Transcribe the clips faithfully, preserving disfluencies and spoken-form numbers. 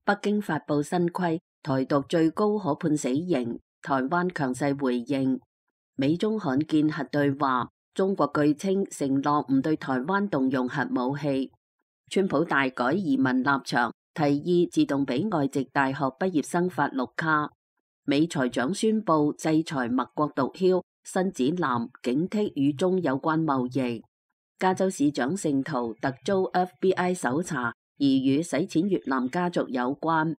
北京發布新規，台獨最高可判死刑，台灣強勢回應。美中罕見核對話，中國據稱承諾唔對台灣動用核武器。川普大改移民立場，提議自動俾外籍大學畢業生發綠卡。美財長宣布制裁墨國毒梟，新指南警惕與中有關貿易。加州市長聖圖特遭 F B I 搜查，疑與洗錢越南家族有關。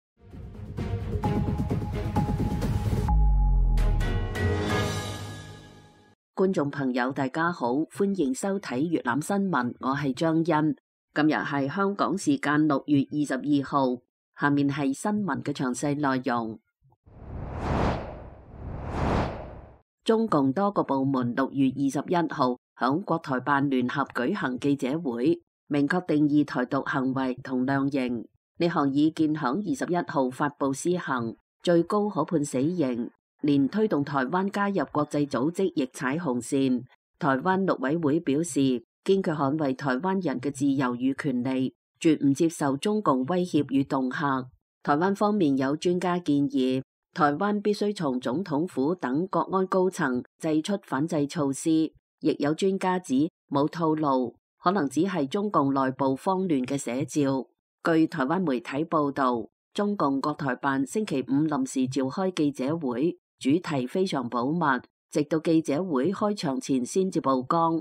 觀眾朋友大家好，歡迎收睇粵覽新聞，我係張欣。今日係香港時間六月二十二號，下面係新聞嘅詳細內容。中共多個部門六月二十一號響國台辦聯合舉行記者會，明確定義台獨行為同量刑。呢項意見響二十一號發布施行，最高可判死刑，連推動台灣加入國際組織亦踩紅線。台灣陸委會表示，堅決捍衛台灣人嘅自由與權利，絕唔接受中共威脅與恫嚇。台灣方面有專家建議，台灣必須從總統府等國安高層祭出反制措施，亦有專家指冇套路，可能只係中共內部慌亂嘅寫照。據台灣媒體報道，中共國台辦星期五臨時召開記者會，主題非常保密，直到記者會開場前先至曝光。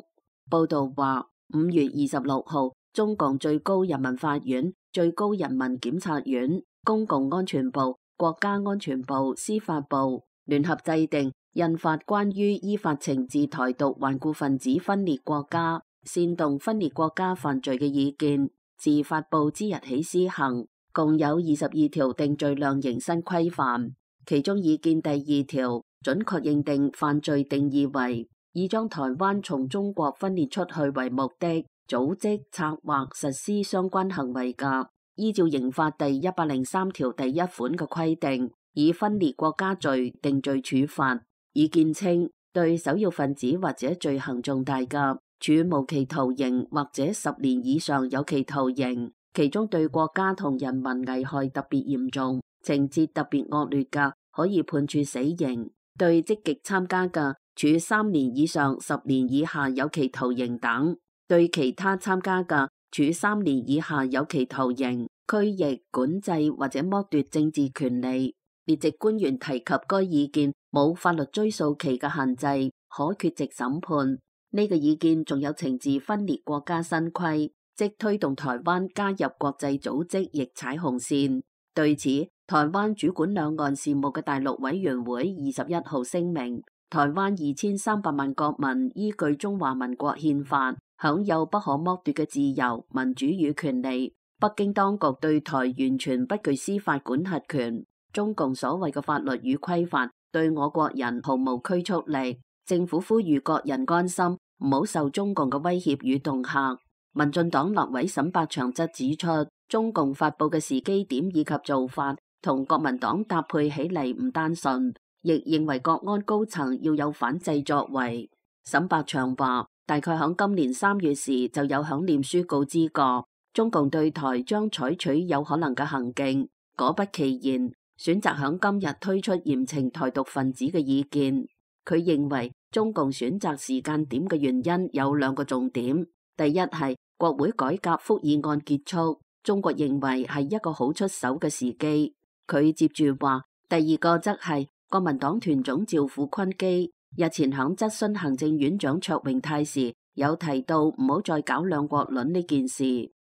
報道話，五月二十六號，中共最高人民法院、最高人民檢察院、公共安全部、國家安全部、司法部聯合制定印發關於依法懲治台獨頑固分子分裂國家、煽動分裂國家犯罪嘅意見，自發布之日起施行，共有二十二條定罪量刑新規範。其中意見第二條準確認定犯罪定義為以將台灣從中國分裂出去為目的，組織、策劃、實施相關行為嘅，依照刑法第一百零三條第一款嘅規定，以分裂國家罪定罪處罰。意見稱，對首要分子或者罪行重大嘅，處無期徒刑或者十年以上有期徒刑，其中對國家同人民危害特別嚴重、情節特別惡劣嘅，可以判處死刑；對積極參加嘅，處三年以上十年以下有期徒刑等；對其他參加嘅，處三年以下有期徒刑、拘役、管制或者剝奪政治權利。列席官員提及該意見冇法律追溯期嘅限制，可缺席審判。呢個意見仲有懲治分裂國家新規，即推動台灣加入國際組織亦踩紅線。對此，台灣主管兩岸事務嘅大陸委員會二十一號聲明，台灣二千三百萬國民依據中華民國憲法享有不可剝奪嘅自由、民主與權利。北京當局對台完全不具司法管轄權，中共所謂嘅法律與規範對我國人毫無拘束力。政府呼籲各人安心，唔好受中共嘅威脅與恫嚇。民進黨立委沈百祥則指出，中共發佈嘅時機點以及做法同國民黨搭配起嚟唔單純，亦認為國安高層要有反制作為。沈百祥話，大概響今年三月時就有響臉書告知過，中共對台將採取有可能嘅行徑，果不其然，選擇響今日推出嚴懲台獨分子嘅意見。佢認為中共選擇時間點嘅原因有兩個重點，第一係國會改革復議案結束，中國認為係一個好出手嘅時機。佢接住話，第二個則係國民黨團總召傅昆基日前響質詢行政院長卓榮泰時，有提到唔好再搞兩國論呢件事，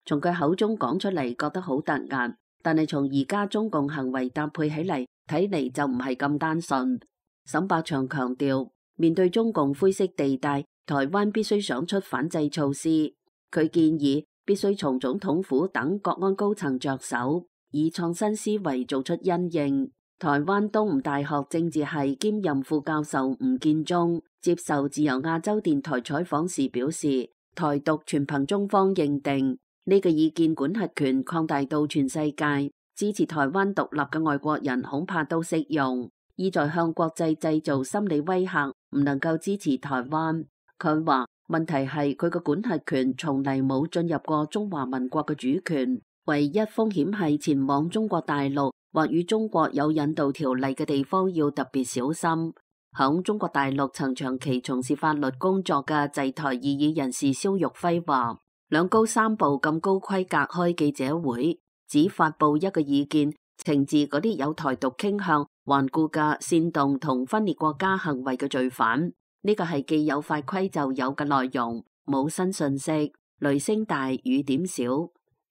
從佢口中講出嚟覺得好突兀，但係從而家中共行為搭配起嚟，睇嚟就唔係咁單純。沈百祥強調，面對中共灰色地帶，台灣必須想出反制措施。佢建議必須從總統府等國安高層着手，以創新思維做出因應。台灣東吳大學政治系兼任副教授吳建中接受自由亞洲電台採訪時表示，台獨全憑中方認定，呢個意見管轄權擴大到全世界，支持台灣獨立嘅外國人恐怕都適用。意在向國際製造心理威嚇，唔能夠支持台灣。佢話問題係佢嘅管轄權從嚟冇進入過中華民國嘅主權，唯一風險係前往中國大陸或與中國有引渡條例嘅地方要特別小心。響中國大陸曾長期從事法律工作嘅制台異議人士蕭玉輝話，兩高三部咁高規格開記者會，只發布一個意見，懲治嗰啲有台獨傾向、頑固嘅煽動同分裂國家行為嘅罪犯。呢個係既有法規就有嘅內容，冇新信息，雷聲大雨點小。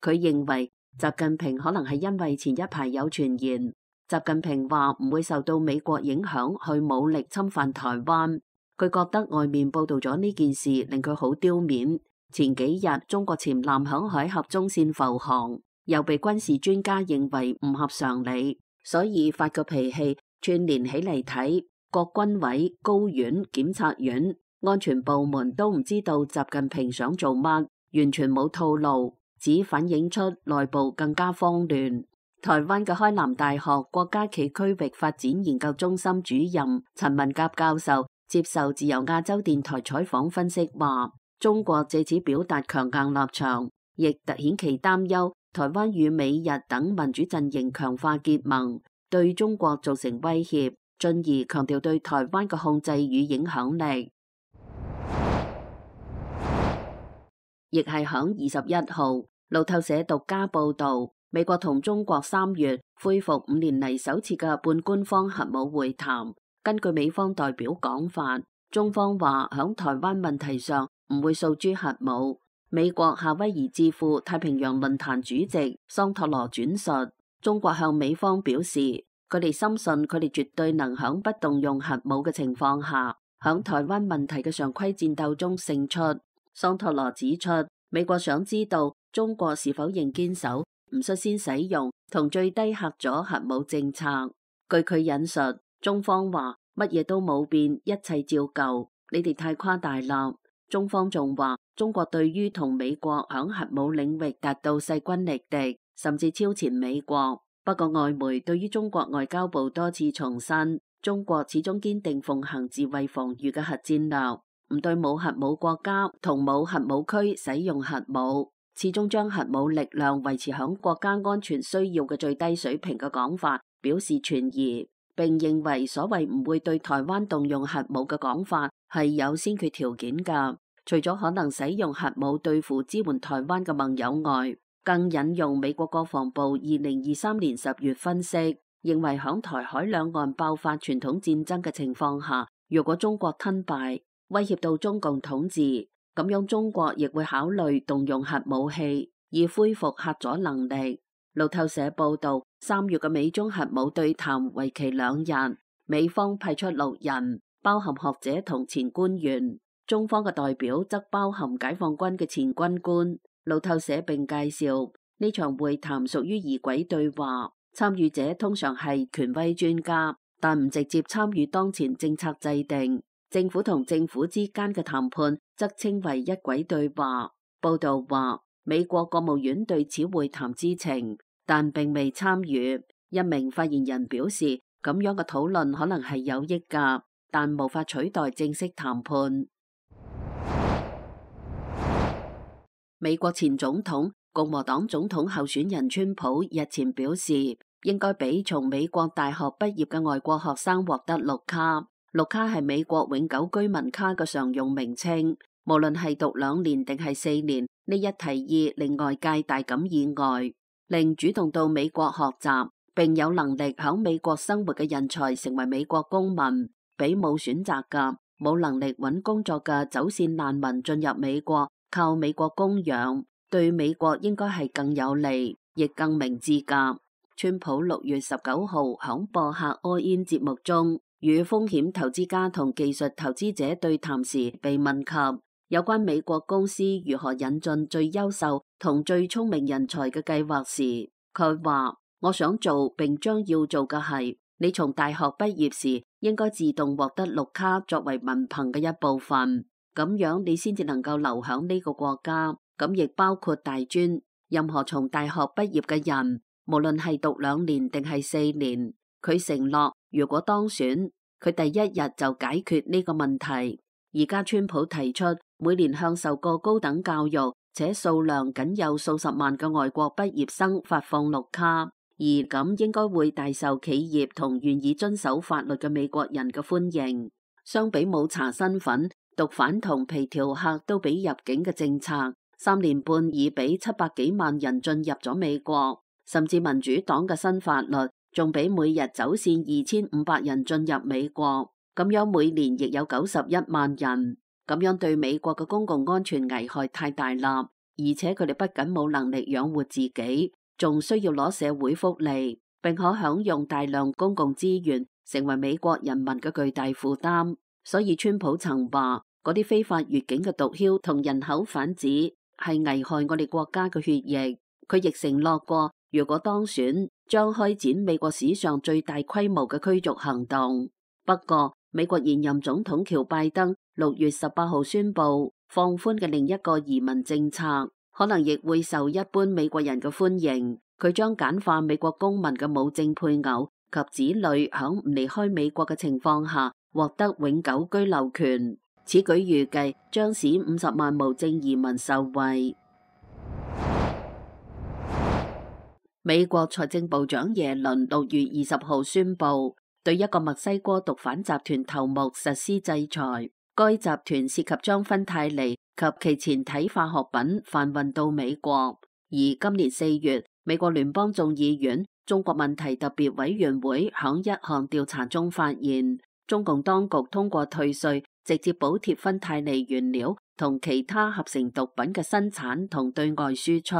佢認為習近平可能係因為前一排有傳言，習近平話唔會受到美國影響去武力侵犯台灣。佢覺得外面報道咗呢件事令佢好丟面。前幾日中國潛艦響海峽中線浮航，又被軍事專家認為唔合常理，所以發個脾氣串連起嚟睇，各軍委、高院、檢察院、安全部門都唔知道習近平想做乜，完全冇套路。只反映出內部更加慌亂。台灣嘅開南大學國家暨區域發展研究中心主任陳文甲教授接受自由亞洲電台採訪分析話，中國借此表達強硬立場，亦凸顯其擔憂台灣與美日等民主陣營強化結盟，對中國造成威脅，進而強調對台灣嘅控制與影響力。亦係響二十一號。路透社獨家報道，美國同中國三月恢復五年嚟首次嘅半官方核武會談。根據美方代表講法，中方話響台灣問題上唔會訴諸核武。美國夏威夷智庫太平洋論壇主席桑托羅轉述，中國向美方表示，佢哋深信佢哋絕對能響不動用核武嘅情況下，響台灣問題嘅常規戰鬥中勝出。桑托羅指出，美國想知道中國是否仍堅守唔率先使用同最低嚇阻核武政策。據佢引述，中方話乜嘢都冇變，一切照舊，你哋太誇大啦。中方仲話，中國對於同美國響核武領域達到勢均力敵，甚至超前美國。不過外媒對於中國外交部多次重申，中國始終堅定奉行自衛防禦嘅核戰略，唔對冇核武國家同冇核武區使用核武，始終將核武力量維持響國家安全需要嘅最低水平嘅講法表示存疑，並認為所謂唔會對台灣動用核武嘅講法係有先決條件㗎。除咗可能使用核武對付支援台灣嘅盟友外，更引用美國國防部二零二三年十月分析，認為響台海兩岸爆發傳統戰爭嘅情況下，如果中國吞敗，威脅到中共統治，咁樣中國亦會考慮動用核武器，以恢復嚇阻能力。路透社報道，三月嘅美中核武對談為期兩日，美方派出六人，包含學者同前官員，中方嘅代表則包含解放軍嘅前軍官。路透社並介紹呢場會談屬於儀軌對話，參與者通常係權威專家，但唔直接參與當前政策制定。政府同政府之間嘅談判則稱為一軌對話。報道話，美國國務院對此會談知情，但並未參與。一名發言人表示，咁樣嘅討論可能係有益㗎，但無法取代正式談判。美國前總統、共和黨總統候選人川普日前表示，應該俾從美國大學畢業嘅外國學生獲得綠卡。綠卡係美國永久居民卡嘅常用名稱，無論係讀兩年定係四年，呢一提議令外界大感意外，令主動到美國學習並有能力響美國生活嘅人才成為美國公民，比冇選擇嘅、冇能力揾工作嘅走線難民進入美國，靠美國供養，對美國應該係更有利，亦更明智㗎。川普六月十九號響播客 All In 節目中，與風險投資家同技術投資者對談時，被問及有關美國公司如何引進最優秀同最聰明人才嘅計劃時，佢話：我想做並將要做嘅係，你從大學畢業時應該自動獲得綠卡作為文憑嘅一部分，咁樣你先至能夠留響呢個國家。咁亦包括大專，任何從大學畢業嘅人，無論係讀兩年定係四年，佢承諾如果當選，佢第一日就解決呢個問題。而家川普提出每年向受過高等教育且數量僅有數十萬嘅外國畢業生發放綠卡，而咁應該會大受企業同願意遵守法律嘅美國人嘅歡迎。相比冇查身份、毒販同皮條客都俾入境嘅政策，三年半已俾七百幾萬人進入咗美國，甚至民主黨嘅新法律仲俾每日走線二千五百人進入美國，咁樣每年亦有九十一萬人，咁樣對美國嘅公共安全危害太大啦，而且佢哋不僅冇能力養活自己，仲需要攞社會福利，並可享用大量公共資源，成為美國人民嘅巨大負擔。所以川普曾話嗰啲非法越境嘅毒梟同人口販子係危害我哋國家嘅血液。佢亦承諾過，如果當選，將開展美國史上最大規模嘅驅逐行動。不過，美國現任總統喬拜登六月十八號宣布放寬嘅另一個移民政策，可能亦會受一般美國人嘅歡迎。佢將簡化美國公民嘅無證配偶及子女響唔離開美國嘅情況下獲得永久居留權。此舉預計將使五十萬無證移民受惠。美國財政部長耶倫六月二十號宣布對一個墨西哥毒販集團頭目實施制裁。該集團涉及將芬太尼及其前體化學品販運到美國。而今年四月，美國聯邦眾議院中國問題特別委員會響一項調查中發現，中共當局通過退稅直接補貼芬太尼原料同其他合成毒品嘅生產同對外輸出。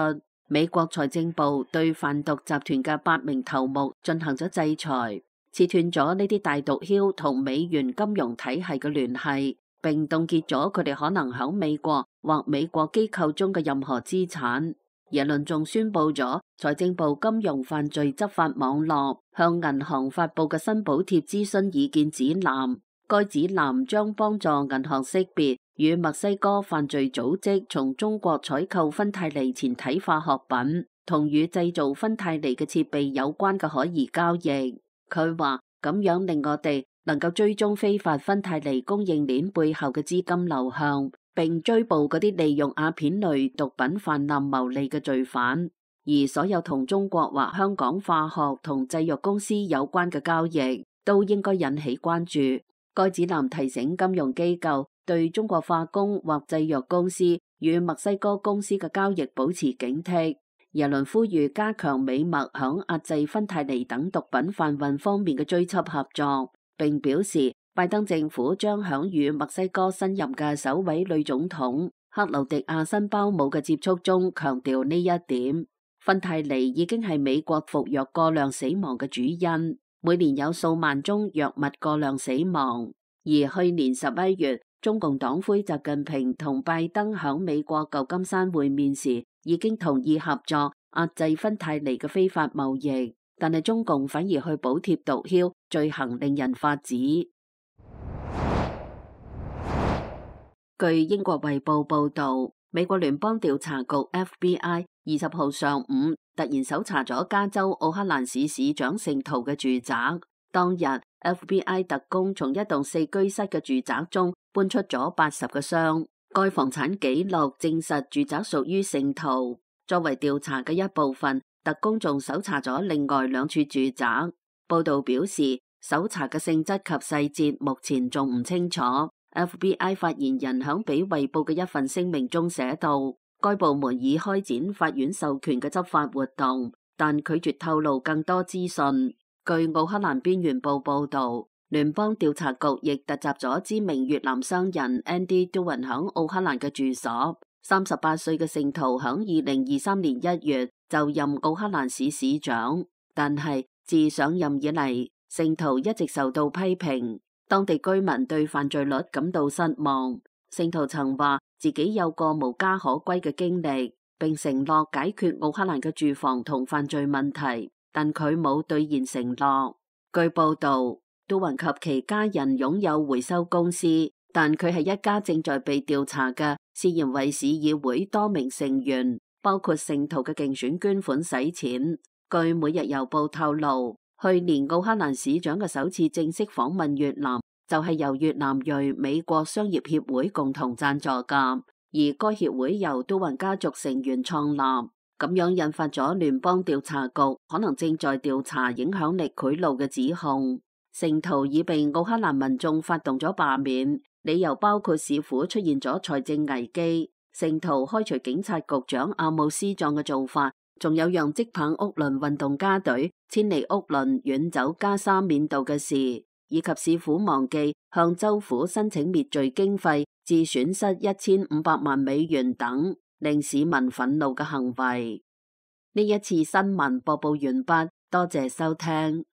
美國財政部對販毒集團嘅八名頭目進行咗制裁，切斷咗呢啲大毒梟同美元金融體系嘅聯繫，並凍結咗佢哋可能喺美國或美國機構中嘅任何資產。耶倫仲宣布咗財政部金融犯罪執法網絡向銀行發布嘅新補貼諮詢意見指南，該指南將幫助銀行識別與墨西哥犯罪組織從中國採購芬太尼前體化學品同與製造芬太尼嘅設備有關嘅可疑交易。佢話咁樣令我哋能夠追蹤非法芬太尼供應鏈背後嘅資金流向，並追捕嗰啲利用鴉片類毒品泛濫牟利嘅罪犯。而所有同中國或香港化學同製藥公司有關嘅交易都應該引起關注。該指南提醒金融機構對中國化工或製藥公司與墨西哥公司嘅交易保持警惕。耶倫呼籲加強美墨響壓制芬太尼等毒品販運方面嘅追緝合作，並表示拜登政府將響與墨西哥新任嘅首位女總統克勞迪亞辛鮑姆嘅接觸中強調呢一點。芬太尼已經係美國服藥過量死亡嘅主因，每年有數萬宗藥物過量死亡。而去年十一月，中共黨魁習近平同拜登響美國舊金山會面時，已經同意合作壓制芬太尼嘅非法貿易，但係中共反而去補貼毒梟，罪行令人髮指。據英國衛報報道，美國聯邦調查局 F B I 二十號上午突然搜查咗加州奧克蘭市市長聖圖嘅住宅。當日 F B I 特工從一棟四居室嘅住宅中搬出咗八十個箱，該房產記錄證實住宅屬於聖圖。作為調查嘅一部分，特工仲搜查咗另外兩處住宅。報道表示，搜查嘅性質及細節目前仲唔清楚。F B I 發言人響俾衛報嘅一份聲明中寫道，該部門已開展法院授權嘅執法活動，但拒絕透露更多資訊。據奧克蘭邊緣報報道，聯邦調查局亦突襲咗知名越南商人 Andy Doan 響奧克蘭嘅住所。三十八歲嘅聖圖響二零二三年一月就任奧克蘭市市長，但係自上任以嚟，聖圖一直受到批評。當地居民對犯罪率感到失望。聖圖曾話自己有個無家可歸嘅經歷，並承諾解決奧克蘭嘅住房同犯罪問題，但佢冇兌現承諾。據報道，杜雲及其家人擁有回收公司，但佢係一家正在被調查嘅涉嫌為市議會多名成員，包括聖圖嘅競選捐款洗錢。據每日郵報透露，去年奧克蘭市長嘅首次正式訪問越南，就係由越南裔美國商業協會共同贊助噶。而該協會由都雲家族成員創立，咁樣引發咗聯邦調查局可能正在調查影響力賄賂嘅指控。聖徒已被奧克蘭民眾發動咗罷免，理由包括市府出現咗財政危機，聖徒開除警察局長阿姆斯壯嘅做法，仲有讓即棒屋崙運動家隊遷離屋崙遠走加沙緬度嘅事，以及市府忘記向州府申請滅罪經費致損失一千五百萬美元等令市民憤怒嘅行為。呢一次新聞播報完畢，多謝收聽。